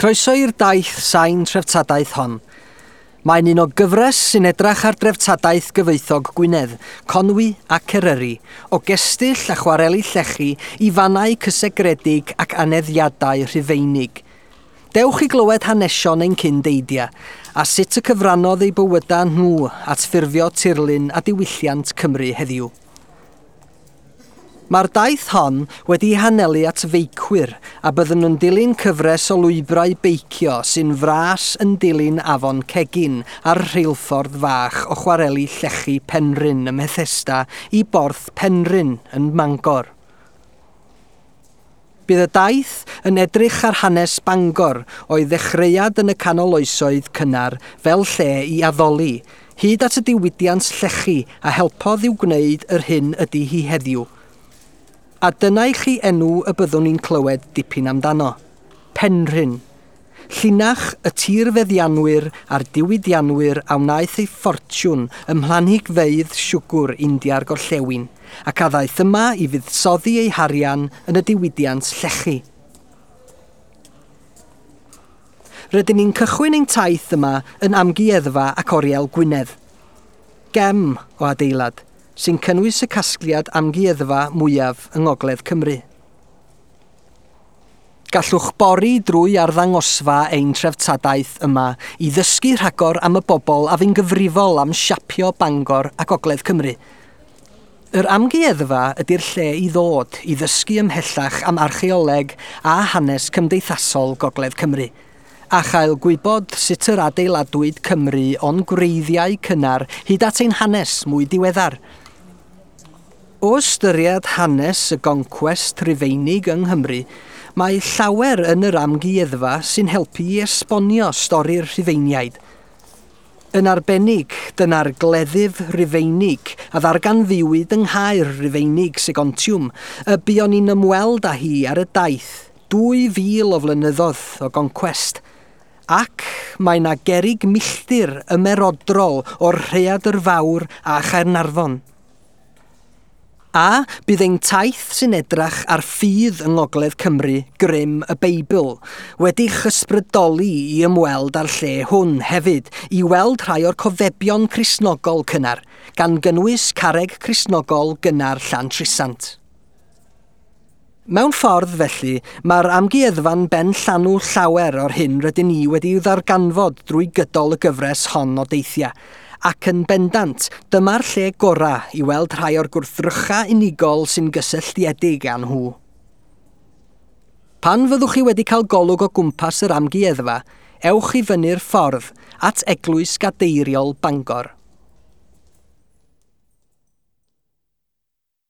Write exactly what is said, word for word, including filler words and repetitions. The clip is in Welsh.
Croeso i'r daith sain treftadaeth hon. Mae'n un o gyfres sy'n edrach ar dreftadaeth gyfoethog Gwynedd, Conwy ac Eryri, o gestyll a chwareli llechi i fannau cysegredig ac aneddiadau Rhufeinig. Dewch i glywed hanesion ein cyndeidia, a sut y cyfrannodd eu bywydau nhw at ffurfio tirlun a diwylliant Cymru heddiw. Mae'r daith hon wedi hanelu at feicwyr a byddwn yn dilyn cyfres o lwybrau beicio sy'n fras yn dilyn afon Cegin a'r rheilffordd fach o chwareli llechi Penrhyn ym Methesda i Borth Penrhyn yn Mangor. Bydd y daith yn edrych ar hanes Bangor o'i ddechreuad yn y canol oesoedd cynnar fel lle i addoli, hyd at y diwydiant llechi a helpodd i'w gwneud yr hyn ydy hi heddiw. A dyna i chi enw y byddwn ni'n clywed dipyn amdano. Penrhyn. Llinach y tirfeddianwyr a'r diwydianwyr a wnaeth ei ffortiwn ym mhlanhigfeydd siwgr India'r Gorllewin, ac a ddaeth yma i fuddsoddi ei harian yn y diwydiant llechi. Rydyn ni'n cychwyn ein taith yma yn Amgueddfa ac Oriel Gwynedd. Gem o adeilad sy'n cynnwys y casgliad amgueddfa mwyaf yng Ngogledd Cymru. Gallwch bori drwy arddangosfa ein treftadaeth yma i ddysgu rhagor am y bobl a fu'n gyfrifol am siapio Bangor a Gogledd Cymru. Yr amgueddfa ydy'r lle i ddod i ddysgu ymhellach am archeoleg a hanes cymdeithasol Gogledd Cymru, a chael gwybod sut yr adeiladwyd Cymru o'n gwreiddiau cynnar hyd at ein hanes mwy diweddar. O ystyried hanes y goncwest Rhufeinig yng Nghymru, mae llawer yn yr amgueddfa sy'n helpu i esbonio stori'r Rhufeiniaid. Yn arbennig, dyna'r gleddyf Rhufeinig a ddarganfuwyd yng Nghaer Rufeinig Segontium, y buon ni'n ymweld â hi ar y daith dwy fil o flynyddoedd o goncwest. Ac mae 'na gerrig milltir ymerodrol o'r Rhaeadr Fawr a Chaernarfon. A bydd ein taith sy'n edrach ar ffydd yng Ngogledd Cymru, grym y Beibl, wedi'ch ysbrydoli i ymweld â'r lle hwn hefyd, i weld rhai o'r cofebion Cristnogol cynnar, gan gynnwys carreg Cristnogol gynnar Llantrisant. Mewn ffordd felly, mae'r amgueddfa'n ben llanw llawer o'r hyn rydyn ni wedi'i ddarganfod drwy gydol y gyfres hon o deithiau, ac yn bendant, dyma'r lle gorau i weld rhai o'r gwrthrychau unigol sy'n gysylltiedig â nhw. Pan fyddwch chi wedi cael golwg o gwmpas yr amgueddfa, ewch i fyny'r ffordd at Eglwys Gadeiriol Bangor.